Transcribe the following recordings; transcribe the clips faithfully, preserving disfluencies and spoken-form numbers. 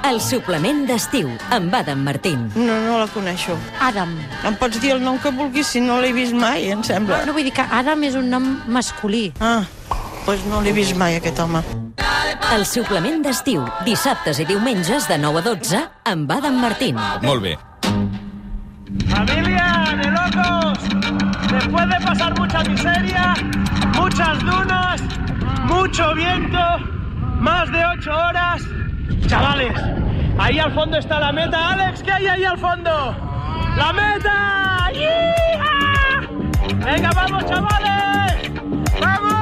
El suplement d'estiu, amb Adam Martín. No, no la coneixo. Adam. Em pots dir el nom que vulguis si no l'he vist mai, em sembla. No, vull dir que Adam és un nom masculí. Ah, doncs no l'he vist mai, aquest home. El suplement d'estiu, dissabtes i diumenges de nou a dotze, amb Adam Martín. Molt bé. ¡Familia de locos! Después de pasar mucha miseria, muchas dunas, mucho viento, más de ocho horas... Chavales, ahí al fondo está la meta. Alex, ¿qué hay ahí al fondo? ¡La meta! ¡Yeah! ¡Venga, vamos, chavales! ¡Vamos!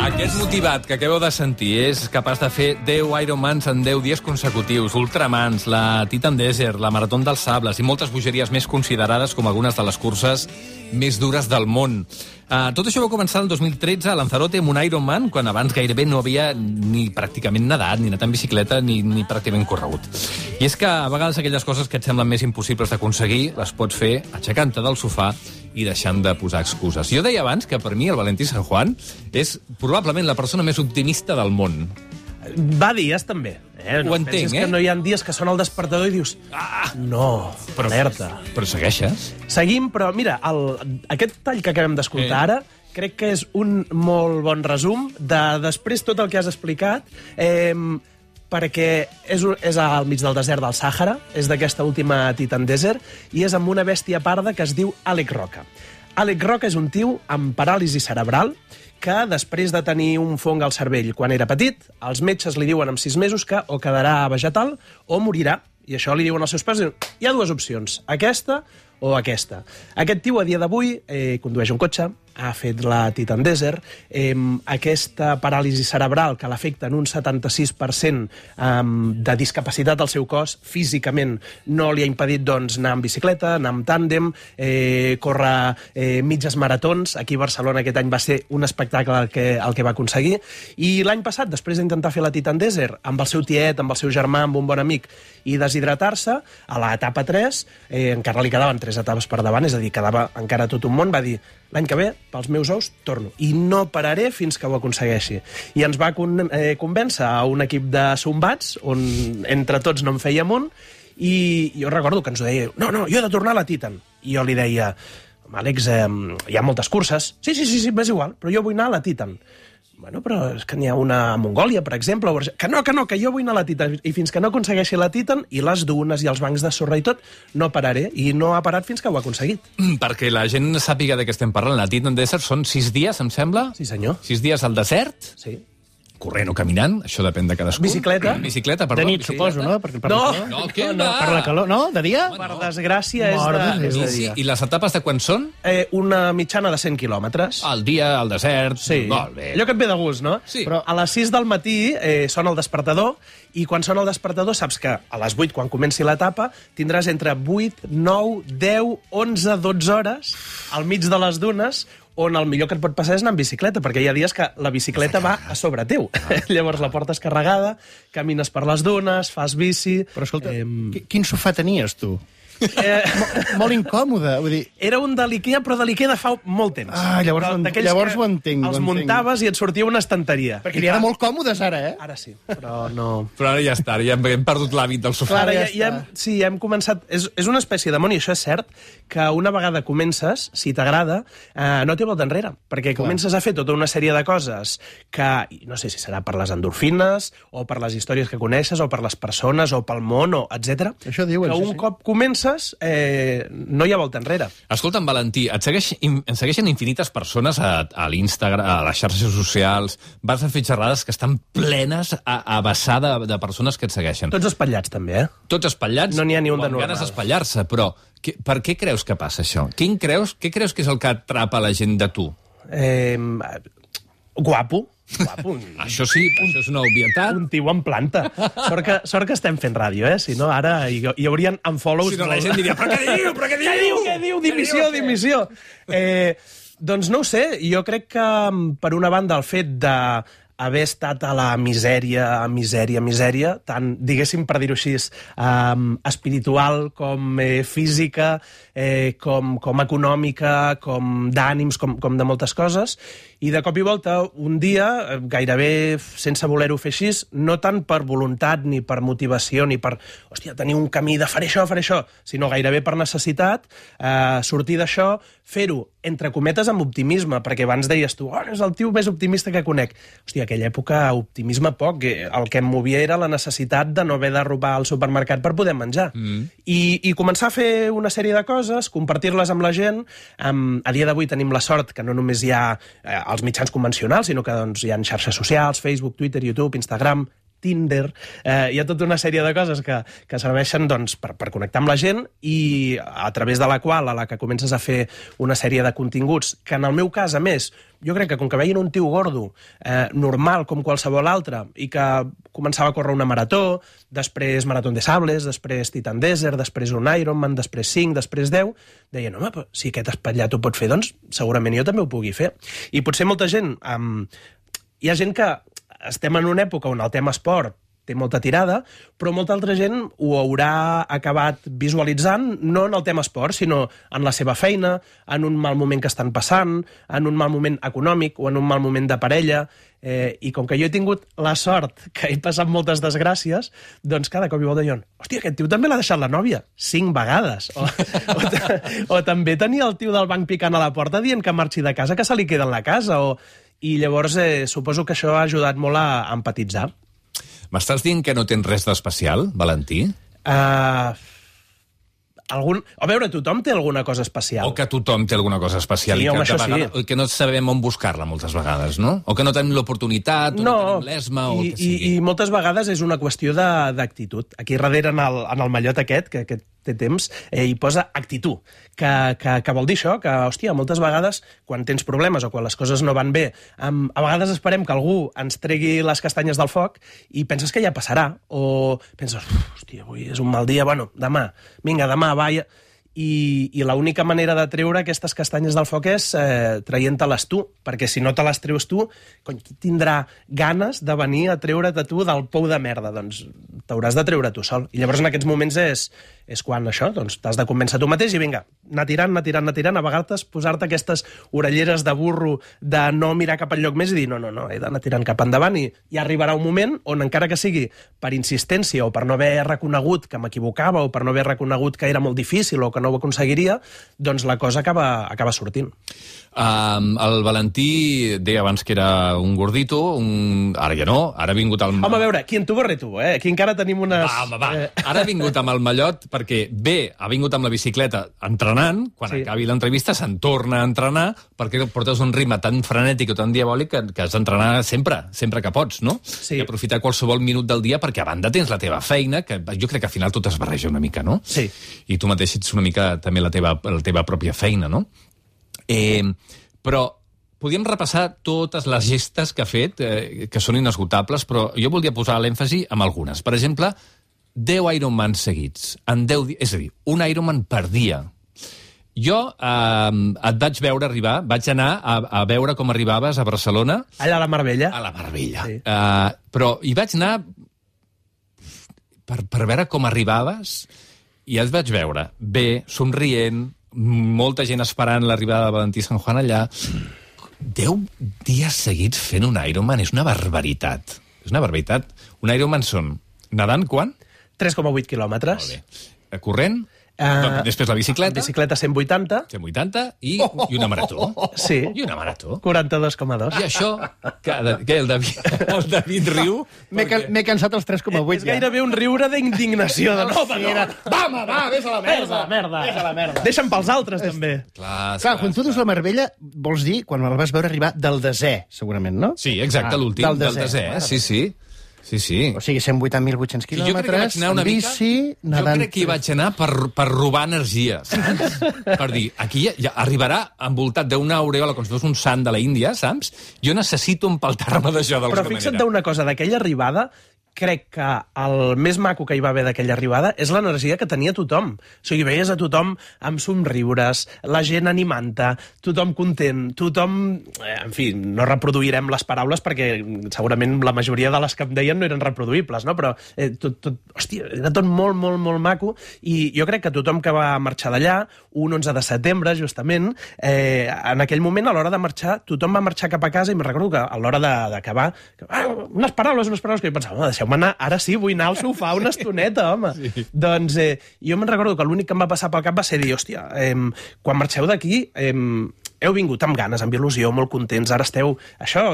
Aquest motivat que acabeu de sentir és capaç de fer deu Ironmans en deu dies consecutius, Ultramans, la Titan Desert, la Marató dels Sables i moltes bogeries més considerades com algunes de les curses més dures del món. Uh, tot això va començar el dos mil tretze a Lanzarote amb un Ironman, quan abans gairebé no havia ni pràcticament nedat, ni anat en bicicleta, ni, ni pràcticament corregut. I és que a vegades aquelles coses que et semblen més impossibles d'aconseguir les pots fer aixecant-te del sofà i deixant de posar excuses. Jo deia abans que per mi el Valentí San Juan és probablement la persona més optimista del món. Va dies, també. Eh? No Ho entenc, penses eh? que no hi ha dies que sona el despertador i dius... Ah, no, però, alerta. Però segueixes? Seguim, però mira, el, aquest tall que acabem d'escoltar Eh. ara crec que és un molt bon resum de després tot el que has explicat, eh, perquè és, un- és al mig del desert del Sàhara, és d'aquesta última Titan Desert, i és amb una bèstia parda que es diu Àlex Roca. Àlex Roca és un tio amb paràlisi cerebral que després de tenir un fong al cervell quan era petit, els metges li diuen amb sis mesos que o quedarà vegetal o morirà. I això li diuen als seus pares, diuen, hi ha dues opcions, aquesta o aquesta. Aquest tio, a dia d'avui, eh, condueix un cotxe, ha fet la Titan Desert, eh, aquesta paràlisi cerebral que l'afecta en un setanta-sis per cent eh, de discapacitat al seu cos, físicament no li ha impedit doncs, anar amb bicicleta, anar amb tàndem, eh, córrer eh, mitges maratons. Aquí a Barcelona aquest any va ser un espectacle el que, el que va aconseguir. I l'any passat, després d'intentar fer la Titan Desert, amb el seu tiet, amb el seu germà, amb un bon amic, i deshidratar-se, a l'etapa tres, eh, encara li quedaven tres etapes per davant, és a dir, quedava encara tot un món, va dir, l'any que ve, pels meus ous, torno. I no pararé fins que ho aconsegueixi. I ens va con eh, convèncer a un equip de sombats, on entre tots no en fèiem un, i jo recordo que ens ho deia, no, no, jo he de tornar a la Titan. I jo li deia, Àlex, eh, hi ha moltes curses. Sí, sí, sí, sí, m'és igual, però jo vull anar a la Titan. Bueno, però és que n'hi ha una a Mongòlia, per exemple. O... Que no, que no, que jo vull anar a la Titan. I fins que no aconsegueixi la Titan, i les dunes i els bancs de sorra i tot, no pararé. I no ha parat fins que ho ha aconseguit. Mm, perquè la gent sàpiga de què estem parlant. La Titan Desert són sis dies, em sembla? Sí, senyor. Sis dies al desert? Sí. Corrent o caminant, això depèn de cadascú. Bicicleta. Bicicleta, perdó. De nit, bicicleta. suposo, no? Perquè per No. la calor. No, què No, no, va? Per la calor, no? De dia? Per desgràcia, és Mare de, de és Déu. de I, sí, dia. I les etapes de quan són? Eh, una mitjana de cent quilòmetres. Al dia, al desert... Sí. Molt bé. Allò que et ve de gust, no? Sí. Però a les sis del matí eh, sona el despertador, i quan sona el despertador saps que a les vuit, quan comenci l'etapa, tindràs entre vuit, nou, deu, onze, dotze hores al mig de les dunes, on el millor que et pot passar és anar amb bicicleta, perquè hi ha dies que la bicicleta va a sobre teu. Ah. Llavors la portes carregada, camines per les dunes, fas bici... Però escolta, Eh, qui- quin sofà tenies, tu? eh, Molt incòmode, vull dir... era un de l'Ikea, però de l'Ikea de fa molt temps. Ah, llavors ho en- D'aquells llavors que ho entenc, ho Els entenc. muntaves i et sortia una estanteria. Perquè n'hi ha de molt còmodes, ara, eh? Ara sí, però no... Però ara ja està, ja hem, hem perdut l'hàbit del sofà. Clar, ja ja, ja hem, està. sí, ja hem començat... És, és una espècie de món, i això és cert, que una vegada comences, si t'agrada, eh, no té volta enrere, perquè Clar. comences a fer tota una sèrie de coses que, i no sé si serà per les endorfines, o per les històries que coneixes, o per les persones, o pel món, o etcètera. Això diuen, que sí, un sí. cop comences, eh, no hi ha volta enrere. Escolta'm, Valentí, et segueix, in- em segueixen infinites persones a, a l'Instagram, a les xarxes socials, vas a fer xerrades que estan plenes a, a vessar de, de persones que et segueixen. Tots espatllats, també, eh? Tots espatllats, No n'hi ha ni un o de amb ganes normal. d'espatllar-se, però que, per què creus que passa això? Quin creus, què creus que és el que atrapa la gent de tu? eh guapo. Guapo. Un, Això sí, això és una obvietat. un tio en planta. Sort que, sort que estem fent ràdio, eh? Si no, ara hi, hi haurien unfollows... Si no, la gent diria, però què diu, però què diu? Què diu, què diu? Dimissió, dimissió. Eh, doncs no ho sé, jo crec que, per una banda, el fet de haver estat a la misèria, a misèria, misèria, tant, diguéssim, per dir-ho així, um, espiritual com eh, física, eh, com, com econòmica, com d'ànims, com, com de moltes coses, i de cop i volta, un dia, gairebé sense voler-ho fer així, no tant per voluntat, ni per motivació, ni per, hòstia, tenir un camí de faré això, faré això, sinó gairebé per necessitat, eh, sortir d'això, fer-ho, entre cometes, amb optimisme, perquè abans deies tu, oh, és el tio més optimista que conec. Hòstia, aquella època, optimisme poc, el que em movia era la necessitat de no haver de robar al supermercat per poder menjar. Mm. I, I començar a fer una sèrie de coses, compartir-les amb la gent. Um, a dia d'avui tenim la sort que no només hi ha eh, els mitjans convencionals, sinó que doncs, hi ha xarxes socials, Facebook, Twitter, YouTube, Instagram, Tinder, eh, hi ha tota una sèrie de coses que, que serveixen doncs, per, per connectar amb la gent i a través de la qual a la que comences a fer una sèrie de continguts que en el meu cas, a més, jo crec que com que veien un tio gordo, eh, normal com qualsevol altre, i que començava a córrer una marató, després Maratón de Sables, després Titan Desert, després un Ironman, després cinc, després deu, deien, home, però si aquest espatllat ho pot fer, doncs segurament jo també ho pugui fer. I potser molta gent... Um, hi ha gent que estem en una època on el tema esport té molta tirada, però molta altra gent ho haurà acabat visualitzant no en el tema esport, sinó en la seva feina, en un mal moment que estan passant, en un mal moment econòmic o en un mal moment de parella, eh, i com que jo he tingut la sort que he passat moltes desgràcies, doncs cada cop i volta diuen, hòstia, aquest tio també l'ha deixat la nòvia cinc vegades, o, o, o també tenia el tio del banc picant a la porta dient que marxi de casa, que se li queda en la casa, o... I llavors eh, suposo que això ha ajudat molt a empatitzar. M'estàs dient que no tens res d'especial, Valentí? Uh, algun... A veure, tothom té alguna cosa especial. O que tothom té alguna cosa especial. Sí, i que, home, això vegada, sí. Que no sabem on buscar-la moltes vegades, no? O que no tenim l'oportunitat, o no, no tenim l'esma, o i, el que sigui. I, I moltes vegades és una qüestió d'actitud. Aquí darrere, en el, en el mallot aquest, que, que té temps, eh, hi posa actitud, que, que, que vol dir això, que, hòstia, moltes vegades, quan tens problemes o quan les coses no van bé, um, a vegades esperem que algú ens tregui les castanyes del foc i penses que ja passarà, o penses, hòstia, avui és un mal dia, bueno, demà, vinga, demà, va, ja... I, i l'única manera de treure aquestes castanyes del foc és eh, traient-te-les tu, perquè si no te les treus tu, cony, qui tindrà ganes de venir a treure't a tu del pou de merda? Doncs t'hauràs de treure tu sol. I llavors en aquests moments és, és quan això, doncs t'has de convèncer tu mateix i vinga, anar tirant, anar tirant, anar tirant, a vegades posar-te aquestes orelleres de burro de no mirar cap enlloc més i dir, no, no, no, he d'anar tirant cap endavant, i ja arribarà un moment on encara que sigui per insistència o per no haver reconegut que m'equivocava o per no haver reconegut que era molt difícil o que no ho aconseguiria, doncs la cosa acaba, acaba sortint. Um, el Valentí deia abans que era un gordito, un... ara ja no, ara ha vingut al... Home, a veure, qui en tu borre tu, eh? Aquí encara tenim unes... Va, home, va. Ara ha vingut amb el mallot perquè, bé, ha vingut amb la bicicleta entrenant, quan sí. acabi l'entrevista se'n torna a entrenar, perquè portes un ritme tan frenètic o tan diabòlic que, que has d'entrenar sempre, sempre que pots, no? Sí. I aprofitar qualsevol minut del dia perquè a banda tens la teva feina, que jo crec que al final tot es barreja una mica, no? Sí. I tu mateix ets una mica també la teva, la teva pròpia feina, no? Eh, però podríem repassar totes les gestes que ha fet, eh, que són inesgotables, però jo voldria posar l'èmfasi en algunes. Per exemple, deu Ironman seguits, en deu dies, és a dir, un Ironman per dia. Jo eh, et vaig veure arribar, vaig anar a, a veure com arribaves a Barcelona. Allà a la Marbella. A la Marbella. Sí. Eh, però hi vaig anar per, per veure com arribaves i et vaig veure bé, somrient, molta gent esperant l'arribada de Valentí San Juan allà. Deu dies seguits fent un Ironman és una barbaritat. És una barbaritat. Un Ironman són nedant, quan? tres coma vuit quilòmetres. Molt bé. Corrent? Uh, Després la bicicleta? Bicicleta cent vuitanta. cent vuitanta i, i una marató. Sí. I una marató. quaranta-dos coma dos. I això, que, que el, David, el David riu... M'he ca cansat els tres coma vuit És gairebé un riure d'indignació. De no, sí, era... Va, home, va, vés a la merda. merda. Vés a la merda. Deixa'm pels altres, també. Clar, Clar, quan tu dius la Marbella, vols dir quan el vas veure arribar del desè, segurament, no? Sí, exacte, Ah, l'últim, del del desè. desè, sí, sí. Sí, sí. O sigui, cent vuitanta mil vuit-cents Jo crec que vaig quilòmetres, anar una en bici, mica... nedant... Jo crec que hi vaig anar per, per robar energia, saps? Per dir, aquí ja, ja arribarà envoltat d'una aureola com si fos un sant de la Índia, saps? Jo necessito empaltar-me d'això d'alguna Però manera. fixa't d'una cosa, d'aquella arribada, crec que el més maco que hi va haver d'aquella arribada és l'energia que tenia tothom. O sigui, veies a tothom amb somriures, la gent animant-te, tothom content, tothom... Eh, en fi, no reproduirem les paraules perquè segurament la majoria de les que em deien no eren reproduïbles, no? Però eh, tot, tot, hòstia, era tot molt, molt, molt maco i jo crec que tothom que va marxar d'allà, un onze de setembre, justament, eh, en aquell moment, a l'hora de marxar, tothom va marxar cap a casa i me'n recordo que a l'hora d'acabar, ah, unes paraules, unes paraules, que jo pensava, deixeu anar, ara sí, vull anar al sofà una estoneta, home. Sí. Doncs eh, jo me'n recordo que l'únic que em va passar pel cap va ser dir, hòstia, eh, quan marxeu d'aquí, eh, heu vingut amb ganes, amb il·lusió, molt contents, ara esteu, això,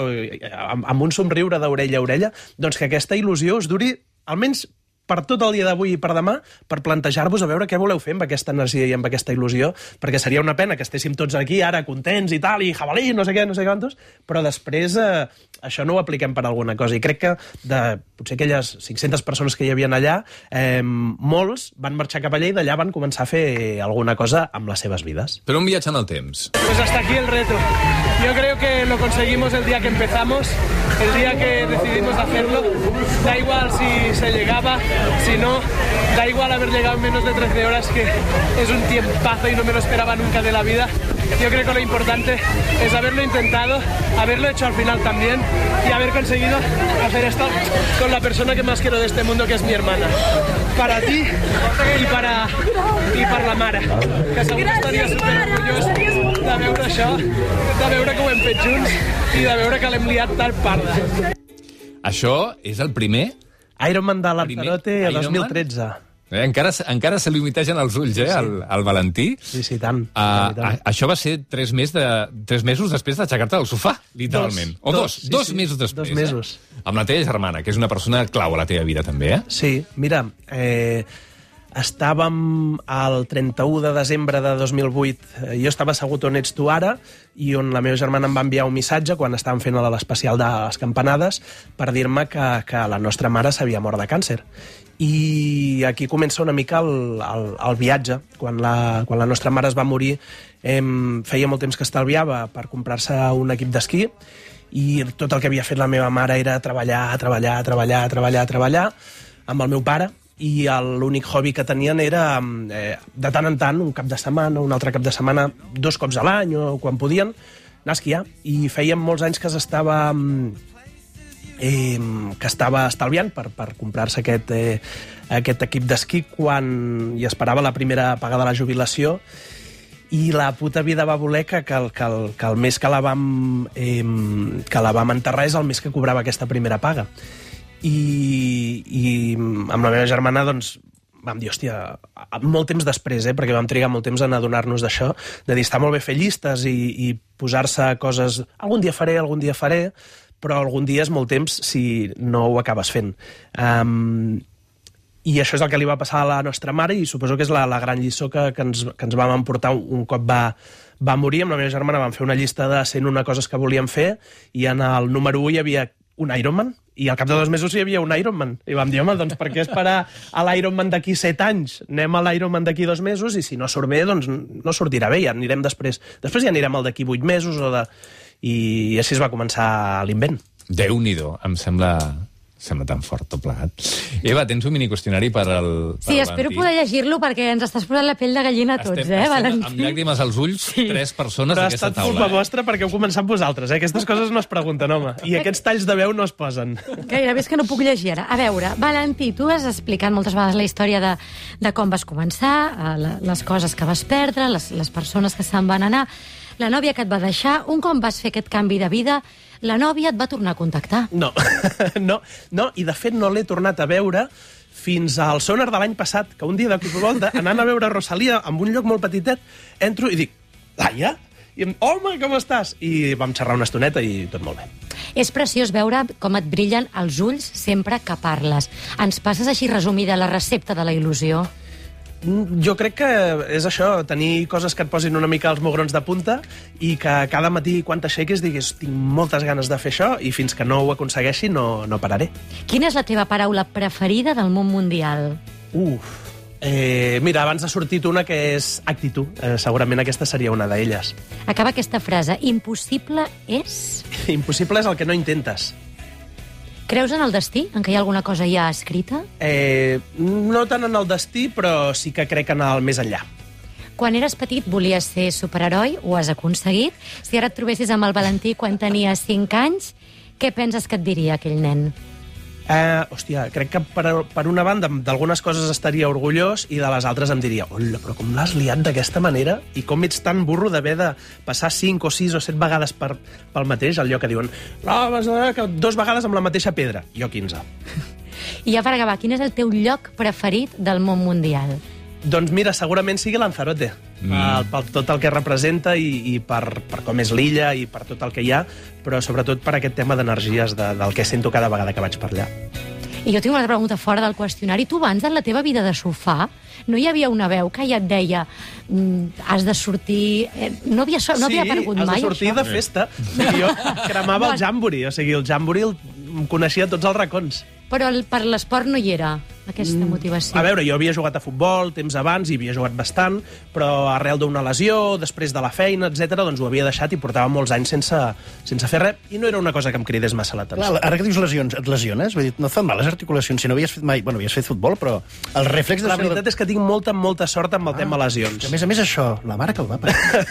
amb, amb un somriure d'orella a orella, doncs que aquesta il·lusió us duri almenys per tot el dia d'avui i per demà, per plantejar-vos a veure què voleu fer amb aquesta energia i amb aquesta il·lusió, perquè seria una pena que estéssim tots aquí ara contents i tal, i jabalí, no sé què, no sé quantos, però després eh, això no ho apliquem per alguna cosa. I crec que de potser aquelles cinc-centes persones que hi havia allà, eh, molts van marxar cap allà i d'allà van començar a fer alguna cosa amb les seves vides. Però un viatge en el temps. Pues hasta aquí el reto. Yo creo que lo conseguimos el día que empezamos, el día que decidimos hacerlo. Da igual si se llegaba, si no, da igual haber llegado en menos de trece horas, que es un tiempazo y no me lo esperaba nunca de la vida. Yo creo que lo importante es haberlo intentado, haberlo hecho al final también y haber conseguido hacer esto con la persona que más quiero de este mundo, que es mi hermana. Para ti y para, y per la mare, que segur que estaria superorgullós de veure això, de veure que ho hem fet junts i de veure que l'hem liat tal parda. Això és el primer? Ironman de Lanzarote a dos mil tretze. Eh, encara, encara se li humitegen els ulls, eh, sí. al, al Valentí. Sí, sí, tant. Uh, a, això va ser tres, mes de, tres mesos després d'aixecar-te del sofà, literalment. Dos, o dos, dos, sí, dos sí, mesos després. Dos mesos. Eh? Amb la teva germana, que és una persona clau a la teva vida, també, eh? Sí, mira, eh, estàvem al trenta-u de desembre de dos mil vuit. Jo estava assegut on ets tu ara i on la meva germana em va enviar un missatge quan estàvem fent l'especial de les campanades per dir-me que, que la nostra mare s'havia mort de càncer. I aquí comença una mica el, el, el viatge. Quan la, quan la nostra mare es va morir, eh, feia molt temps que estalviava per comprar-se un equip d'esquí i tot el que havia fet la meva mare era treballar, treballar, treballar, treballar, treballar amb el meu pare, i l'únic hobby que tenien era, eh, de tant en tant, un cap de setmana, un altre cap de setmana, dos cops a l'any o quan podien, anar a esquiar. I feien molts anys que s'estava... Eh, que estava estalviant per, per comprar-se aquest, eh, aquest equip d'esquí quan hi esperava la primera paga de la jubilació, i la puta vida va voler que, que, el, que, el, que el mes que la, vam, eh, que la vam enterrar és el mes que cobrava aquesta primera paga. I, i amb la meva germana doncs, vam dir, hòstia, molt temps després, eh, perquè vam trigar molt temps en adonar-nos d'això, de dir, està molt bé fer llistes i, i posar-se coses, algun dia faré, algun dia faré, però algun dia és molt temps si no ho acabes fent. Um, I això és el que li va passar a la nostra mare, i suposo que és la, la gran lliçó que, que, ens, que ens vam emportar un, un cop va, va morir. Amb la meva germana vam fer una llista de cent una coses que volíem fer, i en el número u hi havia un Ironman, i al cap de dos mesos hi havia un Ironman. I vam dir, home, doncs per què esperar a l'Ironman d'aquí set anys? Anem a l'Ironman d'aquí dos mesos, i si no surt bé, doncs no sortirà bé, ja anirem després. Després ja anirem al d'aquí vuit mesos, o de... i així es va començar l'invent. Déu-n'hi-do, em sembla... sembla tan fort tot plegat. Eva, tens un miniqüestionari per al per Sí, espero Valentí. poder llegir-lo perquè ens estàs posant la pell de gallina a tots, estem, eh, estem Valentí? amb llàgrimes als ulls, sí. Tres persones Però ha d'aquesta estat taula. culpa eh? vostra perquè heu començat vosaltres, eh? Aquestes coses no es pregunten, home. I aquests talls de veu no es posen. Gairebé és que no puc llegir ara. A veure, Valentí, tu has explicat moltes vegades la història de, de com vas començar, eh, la, les coses que vas perdre, les, les persones que se'n van anar, la nòvia que et va deixar. Un cop vas fer aquest canvi de vida, la nòvia et va tornar a contactar. No, no, no, i de fet no l'he tornat a veure fins al Sonar de l'any passat, que un dia de cop i volta, anant a veure Rosalia en un lloc molt petitet, entro i dic, Laia? I em, home, com estàs? I vam xerrar una estoneta i tot molt bé. És preciós veure com et brillen els ulls sempre que parles. Ens passes així resumida la recepta de la il·lusió? Jo crec que és això, tenir coses que et posin una mica els mugrons de punta i que cada matí quan t'aixequis diguis tinc moltes ganes de fer això i fins que no ho aconsegueixi no, no pararé. Quina és la teva paraula preferida del món mundial? Uf, eh, mira, abans ha sortit una que és actitud. Eh, segurament aquesta seria una d'elles. Acaba aquesta frase. Impossible és... Impossible és el que no intentes. Creus en el destí? En què hi ha alguna cosa ja escrita? Eh, no tant en el destí, però sí que crec en el més enllà. Quan eres petit volies ser superheroi, ho has aconseguit. Si ara et trobessis amb el Valentí quan tenia cinc anys, què penses que et diria aquell nen? Eh, hòstia, crec que per, per una banda d'algunes coses estaria orgullós i de les altres em diria, hola, però com l'has liat d'aquesta manera i com ets tan burro d'haver de passar cinc o sis o set vegades per, pel mateix, allò que diuen, no, vas a que dos vegades amb la mateixa pedra, jo quinze. I ja per acabar, quin és el teu lloc preferit del món mundial? Doncs mira, segurament sigui Lanzarote, mm. per, per tot el que representa i, i per, per com és l'illa i per tot el que hi ha, però sobretot per aquest tema d'energies de, del que sento cada vegada que vaig per allà. I jo tinc una pregunta fora del qüestionari. Tu abans, en la teva vida de sofà, no hi havia una veu que ja et deia mm, has de sortir... Eh, no havia, no havia aparegut mai, això? Sí, has de sortir això? de festa. I jo cremava el jambori, o sigui, el jambori el coneixia tots els racons. Però el, per l'esport no hi era, aquesta mm. motivació. A veure, jo havia jugat a futbol temps abans i havia jugat bastant, però arrel d'una lesió, després de la feina, etcètera, doncs ho havia deixat i portava molts anys sense, sense fer res, i no era una cosa que em cridés massa l'atenció. Clar, ara que dius lesions, et lesiones? Vull dir, no et fan mal les articulacions, si no havies fet mai... Bueno, havies fet futbol, però el reflex... De la veritat és que tinc molta, molta sort amb el ah, tema lesions. A més a més això, la mare que el va parar.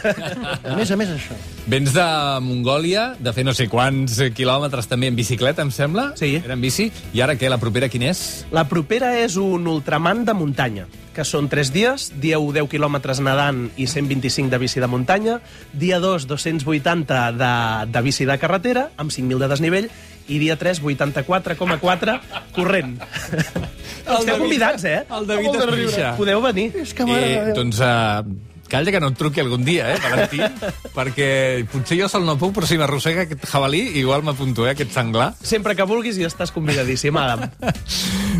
A més a més això. Vens de Mongòlia, de fer no sé quants quilòmetres també en bicicleta, em sembla? Sí. Era en bici. I ara què, la propera quina és? La propera és un ultraman de muntanya, que són tres dies, dia u deu quilòmetres nedant i cent vint-i-cinc de bici de muntanya, dia dos dos-cents vuitanta de, de bici de carretera, amb cinc mil de desnivell, i dia tres vuitanta-quatre coma quatre corrent. Esteu convidats, eh? El David es rixa. Podeu venir. És que mare Eh, doncs... Uh... Calla que no et truqui algun dia, eh, Valentí? Perquè potser jo sol no puc, però si m'arrossega aquest jabalí, igual m'apunto, eh, aquest senglar. Sempre que vulguis i estàs convidadíssim, Adam.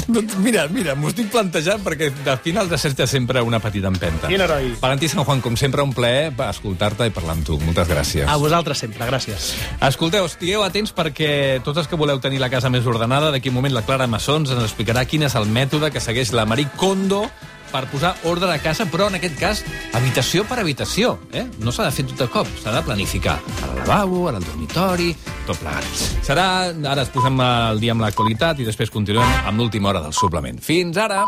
Doncs mira, mira, m'ho estic plantejant perquè de final de certa sempre una petita empenta. Quin heroi. Valentí Sant Juan, com sempre, un plaer escoltar-te i parlar amb tu. Moltes gràcies. A vosaltres sempre, gràcies. Escolteu, estigueu atents perquè tots els que voleu tenir la casa més ordenada, d'aquí un moment la Clara Massons ens explicarà quin és el mètode que segueix la Marie Kondo per posar ordre a casa, però en aquest cas habitació per habitació. Eh? No s'ha de fer tot de cop, s'ha de planificar. Ara al lavabo, ara al dormitori, tot plegat. Serà, ara es posem al dia amb l'actualitat i després continuem amb l'última hora del suplement. Fins ara!